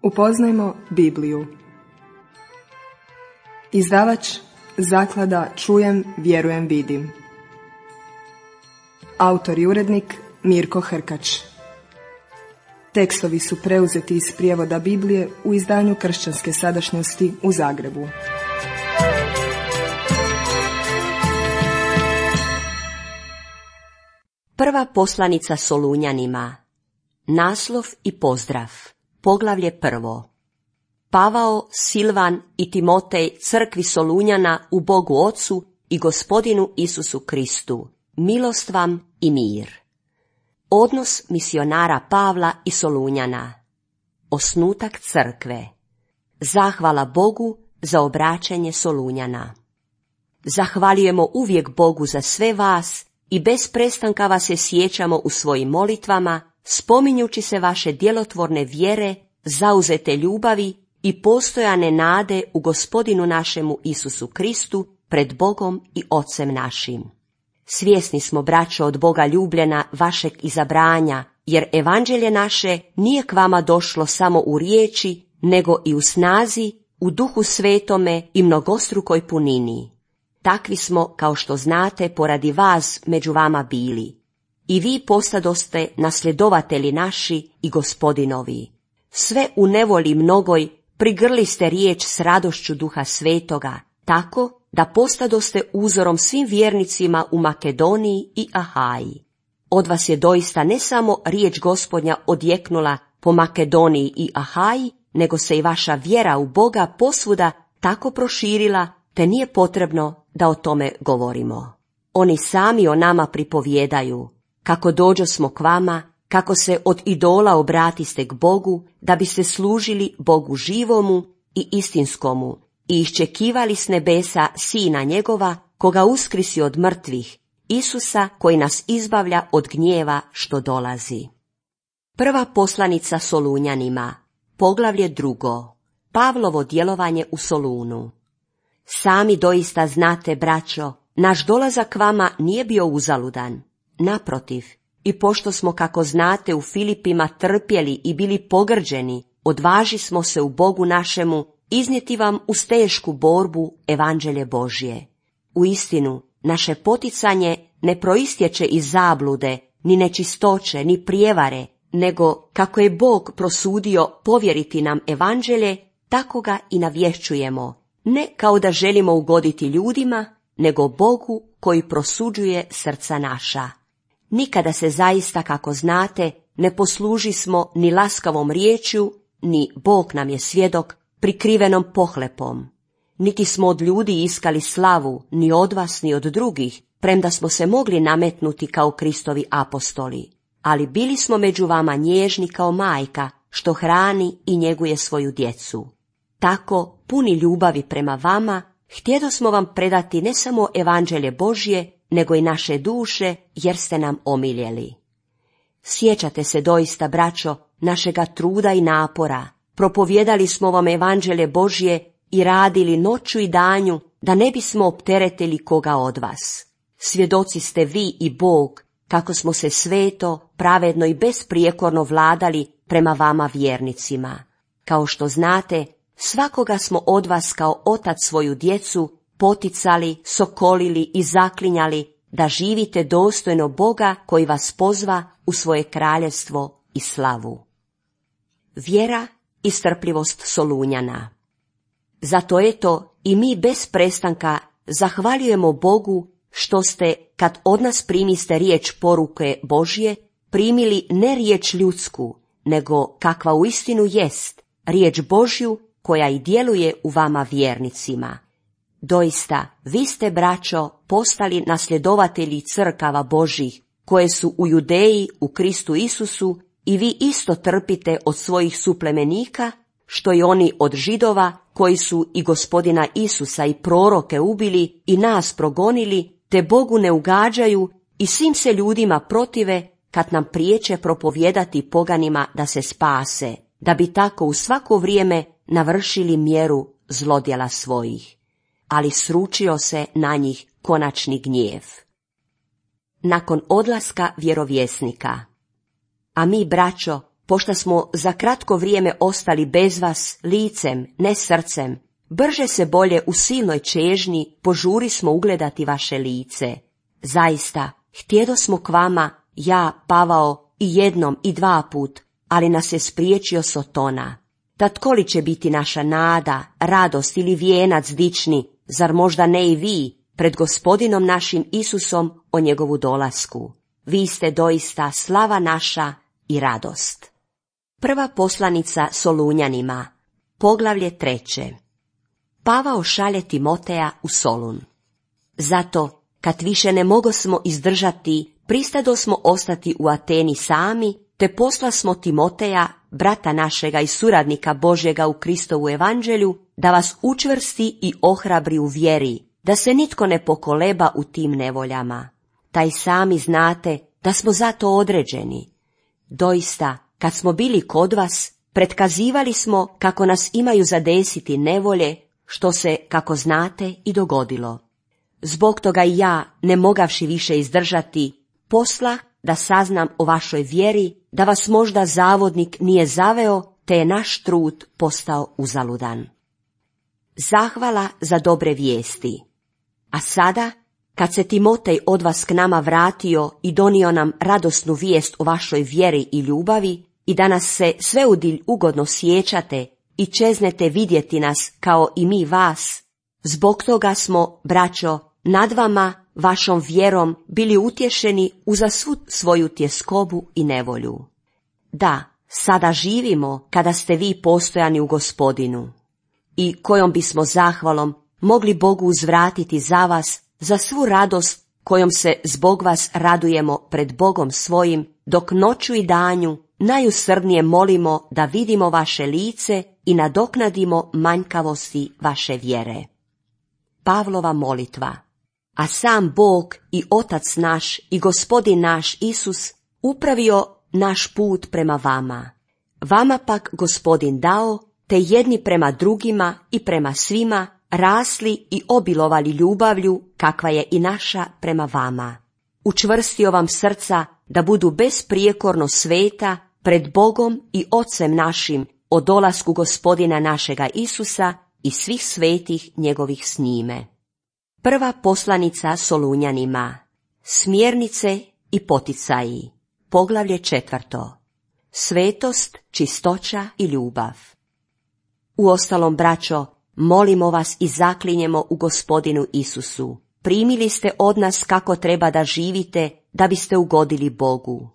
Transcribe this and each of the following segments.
Upoznajmo Bibliju. Izdavač Zaklada Čujem, vjerujem, vidim. Autor i urednik Mirko Hrkač. Tekstovi su preuzeti iz prijevoda Biblije u izdanju Kršćanske sadašnjosti u Zagrebu. Prva poslanica Solunjanima. Naslov i pozdrav. Poglavlje 1. Pavao, Silvan i Timotej crkvi Solunjana u Bogu Ocu i Gospodinu Isusu Kristu. Milost vam i mir. Odnos misionara Pavla i Solunjana. Osnutak crkve. Zahvala Bogu za obraćanje Solunjana. Zahvaljujemo uvijek Bogu za sve vas i bez prestanka vas se sjećamo u svojim molitvama, spominjući se vaše djelotvorne vjere, zauzete ljubavi i postojane nade u Gospodinu našemu Isusu Kristu pred Bogom i Ocem našim. Svjesni smo, braćo, od Boga ljubljena, vašeg izabranja, jer evanđelje naše nije k vama došlo samo u riječi, nego i u snazi, u Duhu Svetome i mnogostrukoj punini. Takvi smo, kao što znate, poradi vas među vama bili. I vi postadoste nasljedovatelji naši i Gospodinovi. Sve u nevoli mnogoj prigrli ste riječ s radošću Duha Svetoga, tako da postadoste uzorom svim vjernicima u Makedoniji i Ahaji. Od vas je doista ne samo riječ Gospodnja odjeknula po Makedoniji i Ahaji, nego se i vaša vjera u Boga posvuda tako proširila, te nije potrebno da o tome govorimo. Oni sami o nama pripovijedaju, kako dođosmo k vama, kako se od idola obratiste k Bogu, da biste služili Bogu živomu i istinskomu i iščekivali s nebesa Sina njegova, koga uskrisi od mrtvih, Isusa koji nas izbavlja od gnjeva što dolazi. Prva poslanica Solunjanima, poglavlje 2. Pavlovo djelovanje u Solunu. Sami doista znate, braćo, naš dolazak k vama nije bio uzaludan. Naprotiv, i pošto smo, kako znate, u Filipima trpjeli i bili pogrđeni, odvaži smo se u Bogu našemu iznijeti vam uz tešku borbu evanđelje Božje. Uistinu, naše poticanje ne proistječe iz zablude, ni nečistoće, ni prijevare, nego kako je Bog prosudio povjeriti nam evanđelje, tako ga i navješćujemo, ne kao da želimo ugoditi ljudima, nego Bogu koji prosuđuje srca naša. Nikada se zaista, kako znate, ne posluži smo ni laskavom riječju, ni Bog nam je svjedok, prikrivenom pohlepom. Niti smo od ljudi iskali slavu, ni od vas, ni od drugih, premda smo se mogli nametnuti kao Kristovi apostoli. Ali bili smo među vama nježni kao majka, što hrani i njeguje svoju djecu. Tako, puni ljubavi prema vama, htjedosmo vam predati ne samo evanđelje Božje, nego i naše duše, jer ste nam omiljeli. Sjećate se doista, braćo, našega truda i napora. Propovijedali smo vam evanđelje Božje i radili noću i danju, da ne bismo opteretili koga od vas. Svjedoci ste vi i Bog, kako smo se sveto, pravedno i besprijekorno vladali prema vama vjernicima. Kao što znate, svakoga smo od vas kao otac svoju djecu poticali, sokolili i zaklinjali da živite dostojno Boga koji vas pozva u svoje kraljevstvo i slavu. Vjera i strpljivost Solunjana. Zato eto i mi bez prestanka zahvaljujemo Bogu što ste, kad od nas primiste riječ poruke Božje, primili ne riječ ljudsku, nego kakva uistinu jest, riječ Božju koja i djeluje u vama vjernicima. Doista, vi ste, braćo, postali nasljedovatelji crkava Božjih, koje su u Judeji u Kristu Isusu, i vi isto trpite od svojih suplemenika, što i oni od Židova, koji su i Gospodina Isusa i proroke ubili i nas progonili, te Bogu ne ugađaju i svim se ljudima protive, kad nam priječe propovijedati poganima da se spase, da bi tako u svako vrijeme navršili mjeru zlodjela svojih. Ali sručio se na njih konačni gnjev. Nakon odlaska vjerovjesnika. A mi, braćo, pošto smo za kratko vrijeme ostali bez vas, licem, ne srcem, brže se bolje u silnoj čežnji požuri smo ugledati vaše lice. Zaista, htjedo smo k vama, ja, Pavao, i jednom i dva put, ali nas je spriječio Sotona. Tad koli će biti naša nada, radost ili vijenac dični, zar možda ne i vi, pred Gospodinom našim Isusom o njegovu dolasku. Vi ste doista slava naša i radost. Prva poslanica Solunjanima, poglavlje 3. Pavao šalje Timoteja u Solun. Zato, kad više ne mogosmo izdržati, pristadosmo ostati u Ateni sami, te poslasmo Timoteja, brata našega i suradnika Božjega u Kristovu evanđelju, da vas učvrsti i ohrabri u vjeri, da se nitko ne pokoleba u tim nevoljama. Taj sami znate da smo zato određeni. Doista, kad smo bili kod vas, pretkazivali smo kako nas imaju zadesiti nevolje, što se, kako znate, i dogodilo. Zbog toga i ja, ne mogavši više izdržati, posla da saznam o vašoj vjeri, da vas možda zavodnik nije zaveo, te je naš trud postao uzaludan. Zahvala za dobre vijesti. A sada, kad se Timotej od vas k nama vratio i donio nam radosnu vijest o vašoj vjeri i ljubavi, i da nas se sveudilj ugodno sjećate i čeznete vidjeti nas kao i mi vas, zbog toga smo, braćo, nad vama, vašom vjerom, bili utješeni uza svu svoju tjeskobu i nevolju. Da, sada živimo kada ste vi postojani u Gospodinu. I kojom bismo zahvalom mogli Bogu uzvratiti za vas, za svu radost kojom se zbog vas radujemo pred Bogom svojim, dok noću i danju najusrdnije molimo da vidimo vaše lice i nadoknadimo manjkavosti vaše vjere. Pavlova molitva. A sam Bog i Otac naš i Gospodin naš Isus upravio naš put prema vama. Vama pak Gospodin dao, te jedni prema drugima i prema svima rasli i obilovali ljubavlju, kakva je i naša prema vama. Učvrstio vam srca da budu besprijekorno sveta pred Bogom i Ocem našim o dolasku Gospodina našega Isusa i svih svetih njegovih s njime. Prva poslanica Solunjanima, smjernice i poticaji, poglavlje 4. Svetost, čistoća i ljubav. Uostalom, braćo, molimo vas i zaklinjemo u Gospodinu Isusu. Primili ste od nas kako treba da živite, da biste ugodili Bogu.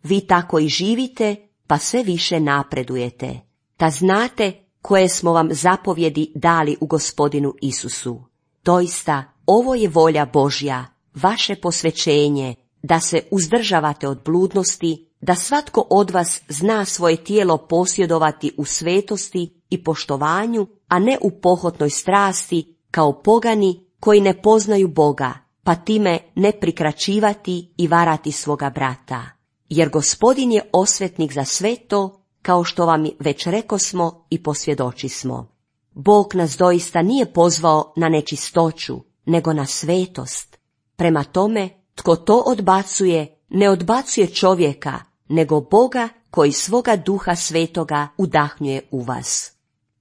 Vi tako i živite, pa sve više napredujete. Da znate koje smo vam zapovjedi dali u Gospodinu Isusu. Doista, ovo je volja Božja, vaše posvećenje, da se uzdržavate od bludnosti, da svatko od vas zna svoje tijelo posjedovati u svetosti i poštovanju, a ne u pohotnoj strasti, kao pogani koji ne poznaju Boga, pa time ne prikraćivati i varati svoga brata. Jer Gospodin je osvetnik za sve to, kao što vam već rekosmo i posvjedočismo. Bog nas doista nije pozvao na nečistoću, nego na svetost. Prema tome, tko to odbacuje, ne odbacuje čovjeka, nego Boga koji svoga Duha Svetoga udahnjuje u vas.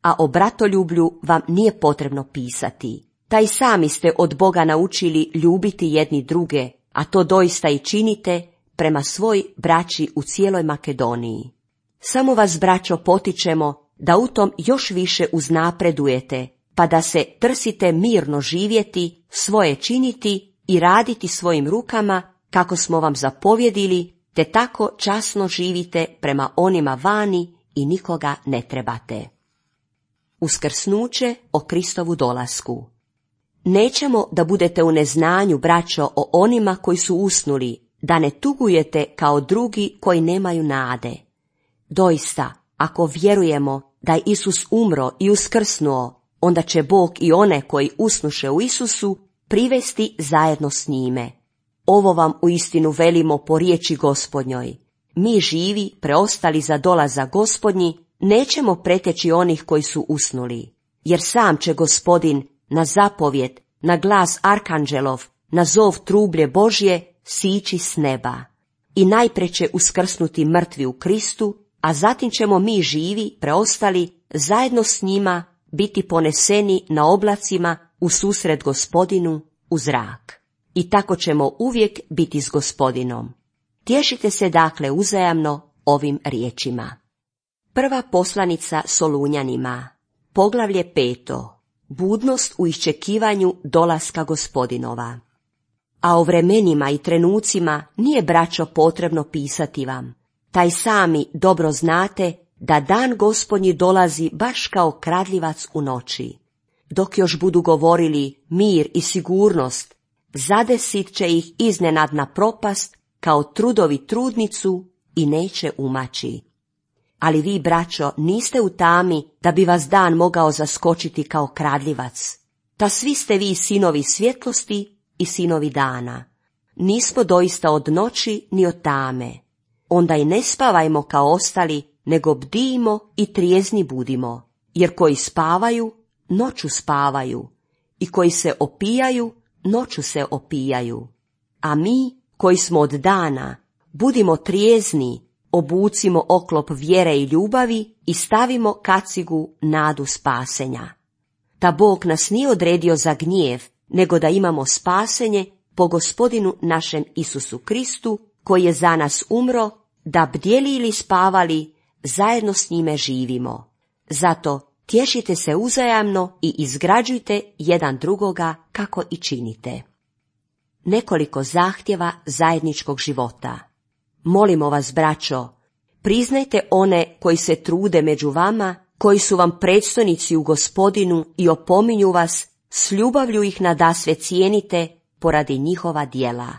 A o bratoljublju vam nije potrebno pisati. Taj sami ste od Boga naučili ljubiti jedni druge, a to doista i činite prema svoj braći u cijeloj Makedoniji. Samo vas, braćo, potičemo da u tom još više uznapredujete, pa da se trsite mirno živjeti, svoje činiti i raditi svojim rukama, kako smo vam zapovjedili, te tako časno živite prema onima vani i nikoga ne trebate. Uskrsnuće o Kristovu dolasku. Nećemo da budete u neznanju, braćo, o onima koji su usnuli, da ne tugujete kao drugi koji nemaju nade. Doista, ako vjerujemo da je Isus umro i uskrsnuo, onda će Bog i one koji usnuše u Isusu privesti zajedno s njime. Ovo vam uistinu velimo po riječi Gospodnjoj. Mi živi, preostali za dolazak Gospodnji, nećemo preteći onih koji su usnuli, jer sam će Gospodin na zapovjed, na glas arkanđelov, na zov trublje Božje sići s neba. I najprije će uskrsnuti mrtvi u Kristu, a zatim ćemo mi živi, preostali, zajedno s njima biti poneseni na oblacima u susret Gospodinu u zrak. I tako ćemo uvijek biti s Gospodinom. Tješite se dakle uzajamno ovim riječima. Prva poslanica Solunjanima, poglavlje 5. Budnost u iščekivanju dolaska Gospodinova. A o vremenima i trenucima nije, braćo, potrebno pisati vam. Taj sami dobro znate da dan Gospodnji dolazi baš kao kradljivac u noći. Dok još budu govorili mir i sigurnost, zadesit će ih iznenadna propast kao trudovi trudnicu i neće umaći. Ali vi, braćo, niste u tami da bi vas dan mogao zaskočiti kao kradljivac. Ta svi ste vi sinovi svjetlosti i sinovi dana. Nismo doista od noći ni od tame. Onda i ne spavajmo kao ostali, nego bdijmo i trijezni budimo. Jer koji spavaju, noću spavaju. I koji se opijaju, noću se opijaju. A mi, koji smo od dana, budimo trijezni, obucimo oklop vjere i ljubavi i stavimo kacigu nadu spasenja. Ta Bog nas nije odredio za gnjev, nego da imamo spasenje po Gospodinu našem Isusu Kristu, koji je za nas umro, da bdjeli ili spavali, zajedno s njime živimo. Zato tješite se uzajamno i izgrađujte jedan drugoga kako i činite. Nekoliko zahtjeva zajedničkog života. Molimo vas, braćo, priznajte one koji se trude među vama, koji su vam predstojnici u Gospodinu i opominju vas, s ljubavlju ih nadasve cijenite poradi njihova djela.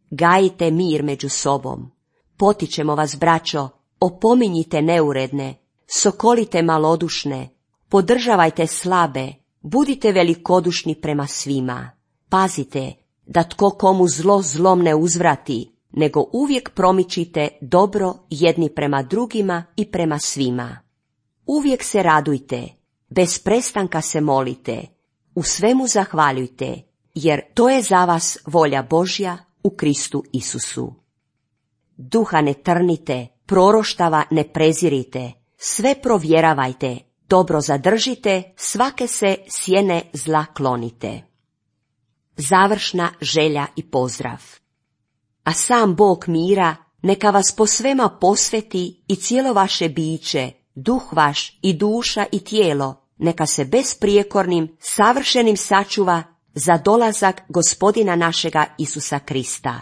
Gajite mir među sobom. Potičemo vas, braćo, opominjite neuredne, sokolite malodušne, podržavajte slabe, budite velikodušni prema svima. Pazite da tko komu zlo zlom ne uzvrati, nego uvijek promičite dobro jedni prema drugima i prema svima. Uvijek se radujte, bez prestanka se molite, u svemu zahvaljujte, jer to je za vas volja Božja u Kristu Isusu. Duha ne trnite, proroštava ne prezirite, sve provjeravajte, dobro zadržite, svake se sjene zla klonite. Završna želja i pozdrav. A sam Bog mira neka vas po svema posveti i cijelo vaše biće, duh vaš i duša i tijelo, neka se besprijekornim, savršenim sačuva za dolazak Gospodina našega Isusa Krista.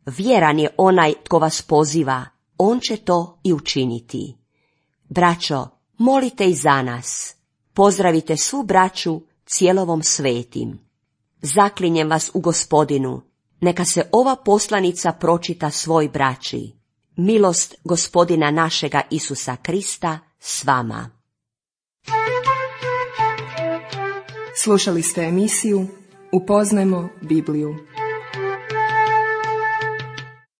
Vjeran je onaj tko vas poziva, on će to i učiniti. Braćo, molite i za nas. Pozdravite svu braću cijelovom svetim. Zaklinjem vas u Gospodinu, neka se ova poslanica pročita svoj braći. Milost Gospodina našega Isusa Krista s vama. Slušali ste emisiju Upoznajmo Bibliju.